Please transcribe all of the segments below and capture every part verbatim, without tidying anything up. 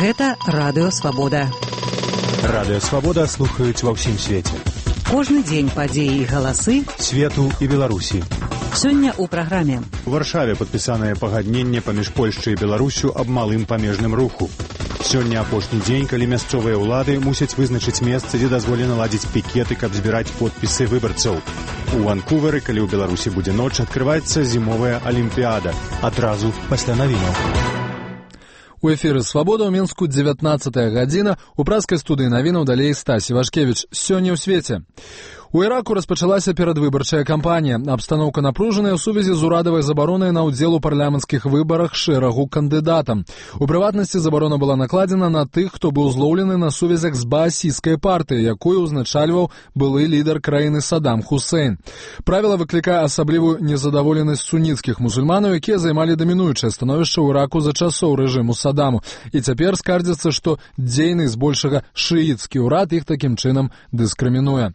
Гэта Радыё Свабода. Радыё Свабода слухаюць ва ўсім свеце. Кожны дзень падзеі і галасы свету і Беларусі. Сёння ў праграме. У Варшаве падпісанае пагадненне паміж Польшчай і Беларусю аб малым памежным руху. Сёння апошні дзень, калі мясцовыя ўлады мусяць вызначыць месца, дзе дазволена ладзіць пікеты, каб збіраць подпісы выбарцаў. У Ванкувары, калі ў Беларусі будзе ноч, адкрываецца зімовая алімпіяда. Адразу пасля навінаў. У эфіры «Свабода» ў Мінску дзевятнаццатая гадзіна. У праскай студыі навінаў далей Стась Івашкевіч. Сёння ў свеце. У Іраку распачалася перадвыбарчая кампанія. Абстаноўка напружаная ў сувязі з урадавай забаронай на ўдзел у парламенцкіх выбарах шэрагу кандыдатам. У прыватнасці забарона была накладзена на тых, хто быў злоўлены на сувязях з баасійскай партыяй, якую ўзначальваў былы лідар краіны Саддам Хусейн. Правіла выклікае асаблівую незадаволенасць суніцкіх мусульманаў, якія займалі дамінуючае становішча ў Іраку за часоў рэжыму Саддаму. І цяпер скардзяцца, што дзейны збольшага шыіцкі ўрад іх такім чынам дыскрымінуе.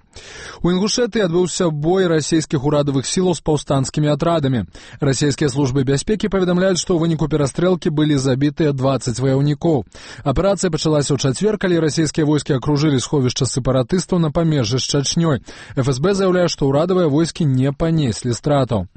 У Інгушэтыі адбыўся бой расійскіх урадавых сілаў з паўстанцкімі атрадамі. Расійскія службы бяспекі паведамляюць, што ў выніку перастрэлкі былі забітыя дваццаць ваяўнікоў. Аперацыя пачалася ў чацвер, калі расійскія войскі акружылі сховішча сепаратыстаў на памежжы з Чачнёй. эф эс бэ заяўляе, што ўрадавыя войскі не панеслі стратаў.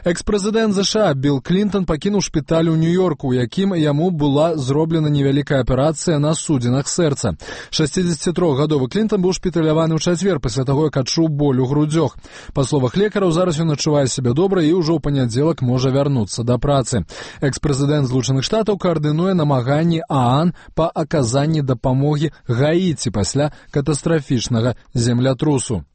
Экс-прэзідэнт ЗША Білл Клінтон пакінуў шпіталь у Нью-Йорку, у якім яму была зроблена невялікая аперацыя на судзінах сэрца. шасцідзесяцітрохгадовы Клінтон быў шпіталяваны ў чацвер пасля таго, як адчуў боль у грудзях. Па словах лекараў, зараз ён адчувае сябе добра і ўжо ў панядзелак можа вярнуцца да працы. Экс-прэзідэнт Злучаных Штатаў каардынуе намаганні ААН па аказанні дапамогі Гаіці пасля катастрафічнага землятрусу.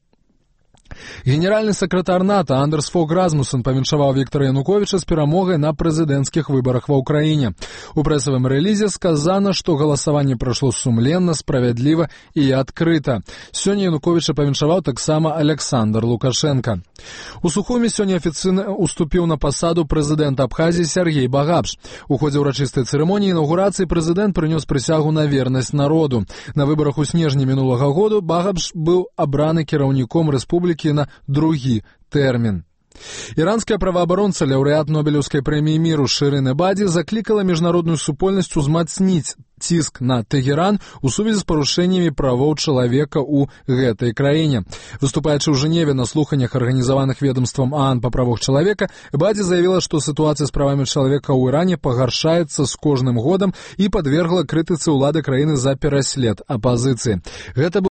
Генеральны сакратар НАТО Андерс Фог Расмуссен павіншаваў Віктара Януковіча з перамогай на прэзідэнцкіх выбарах ва ўкраіне. У прэсавым рэлізе сказана, што галасаванне прайшло сумленна, справядліва і адкрыта. Сёння Януковіча павіншаваў таксама Александр Лукашенко. У Сухуме сёння афіцыйна уступіў на пасаду прэзідэнта Абхазіі Сергей Багапш. У ходзе ўрачыстай цырымоніі інаўгурацыі прэзідэнт прынёс прысягу на вернасць народу. На выбарах у снежні мінулага году Багапш быў абраны кіраўніком рэспублікі на другі тэрмін. Іранская праваабаронца, лаўрэат Нобелеўскай прэміі міру Шырын Эбаді заклікала міжнародную супольнасць узмацніць ціск на Тэгеран у сувязі з парушэннямі правоў чалавека ў гэтай краіне. Выступаючы ў Жэневе на слуханнях, арганізаваных ведомствам ААН па правах чалавека, Эбаді заявіла, што сітуацыя з правамі чалавека ў Іране пагаршаецца з кожным годам і падвергла крытыцы ўлады краіны за пераслед апазіцыі. Гэта